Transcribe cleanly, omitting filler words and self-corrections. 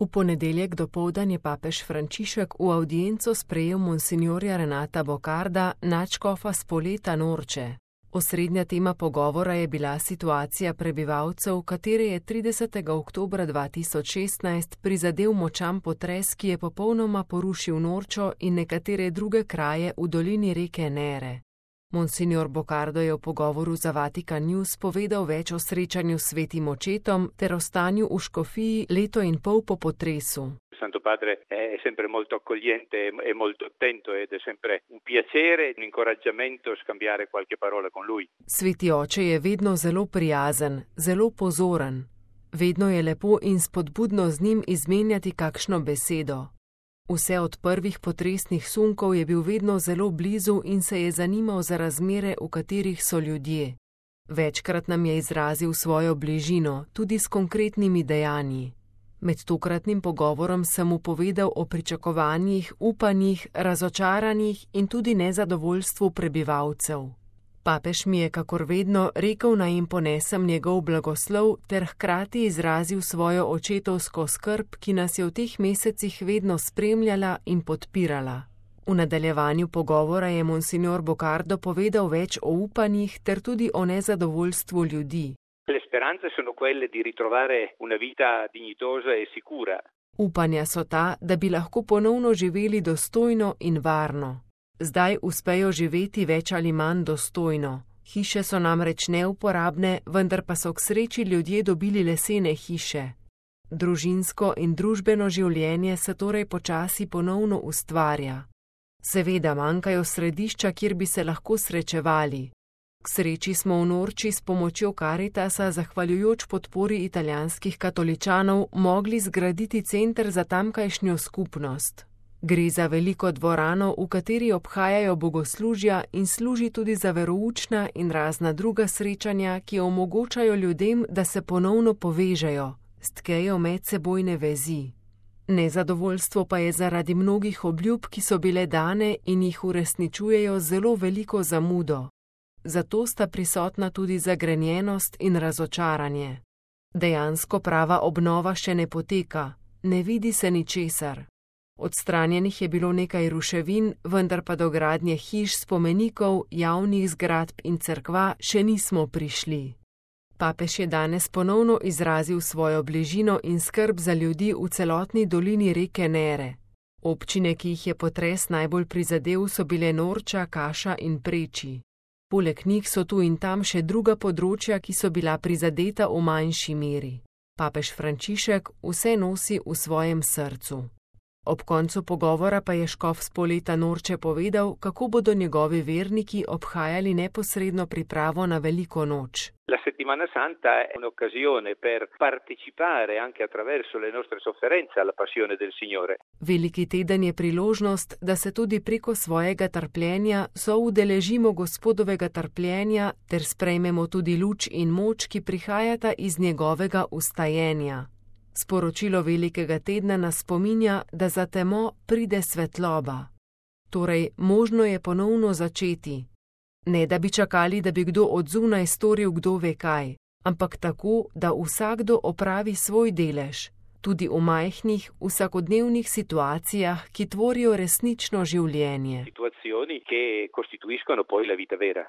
V ponedeljek dopoldan je papež Frančišek v avdienco sprejel monsinjorja Renata Bocarda, nadškofa Spoleta Norče. Osrednja tema pogovora je bila situacija prebivalcev, katere je 30. oktobra 2016 prizadel močan potres, ki je popolnoma porušil Norčo in nekatere druge kraje v dolini reke Nere. Monsignor Bocardo je v pogovoru za Vatikan News povedal več o srečanju s svetim očetom ter o stanju v škofiji leto in pol po potresu. Santo Padre è sempre molto accogliente e molto attento ed è sempre un piacere, un incoraggiamento scambiare qualche parola con lui. Sveti oče je vedno zelo prijazen, zelo pozoren. Vedno je lepo in spodbudno z njim izmenjati kakšno besedo. Vse od prvih potresnih sunkov je bil vedno zelo blizu in se je zanimal za razmere, v katerih so ljudje. Večkrat nam je izrazil svojo bližino, tudi s konkretnimi dejanji. Med tokratnim pogovorom sem mu povedal o pričakovanjih, upanjih, razočaranjih in tudi nezadovoljstvu prebivalcev. Papež mi je, kakor vedno, rekel, naj jim ponesem njegov blagoslov ter hkrati izrazil svojo očetovsko skrb, ki nas je v teh mesecih vedno spremljala in podpirala. V nadaljevanju pogovora je monsignor Bocardo povedal več o upanjih ter tudi o nezadovoljstvu ljudi. Le speranze sono quelle di ritrovare una vita dignitosa e sicura. Upanja so ta, da bi lahko ponovno živeli dostojno in varno. Zdaj uspejo živeti več ali manj dostojno. Hiše so namreč neuporabne, vendar pa so k sreči ljudje dobili lesene hiše. Družinsko in družbeno življenje se torej počasi ponovno ustvarja. Seveda manjkajo središča, kjer bi se lahko srečevali. K sreči smo v Norči s pomočjo Karitasa, zahvaljujoč podpori italijanskih katoličanov, mogli zgraditi center za tamkajšnjo skupnost. Gre za veliko dvorano, v kateri obhajajo bogoslužja in služi tudi za veroučna in razna druga srečanja, ki omogočajo ljudem, da se ponovno povežejo, stkejo medsebojne vezi. Nezadovoljstvo pa je zaradi mnogih obljub, ki so bile dane in jih uresničujejo zelo veliko zamudo. Zato sta prisotna tudi zagrenjenost in razočaranje. Dejansko prava obnova še ne poteka, ne vidi se ničesar. Odstranjenih je bilo nekaj ruševin, vendar pa do gradnje hiš, spomenikov, javnih zgradb in cerkva še nismo prišli. Papež je danes ponovno izrazil svojo bližino in skrb za ljudi v celotni dolini reke Nere. Občine, ki jih je potres najbolj prizadel, so bile Norča, Kaša in Preči. Poleg njih so tu in tam še druga področja, ki so bila prizadeta v manjši meri. Papež Frančišek vse nosi v svojem srcu. Ob koncu pogovora pa je škof Spoleta Norče povedal, kako bodo njegovi verniki obhajali neposredno pripravo na veliko noč. La settimana santa è un'occasione per partecipare anche attraverso le nostre sofferenze alla passione del Signore. Veliki teden je priložnost, da se tudi preko svojega trpljenja soudeležimo Gospodovega trpljenja ter sprejmemo tudi luč in moč, ki prihajata iz njegovega ustajenja. Sporočilo velikega tedna nas spominja, da za temo pride svetloba. Torej, možno je ponovno začeti. Ne da bi čakali, da bi kdo od zunaj storil kdo ve kaj, ampak tako, da vsakdo opravi svoj delež, tudi v majhnih, vsakodnevnih situacijah, ki tvorijo resnično življenje. Situazioni che costituiscono poi la vita vera.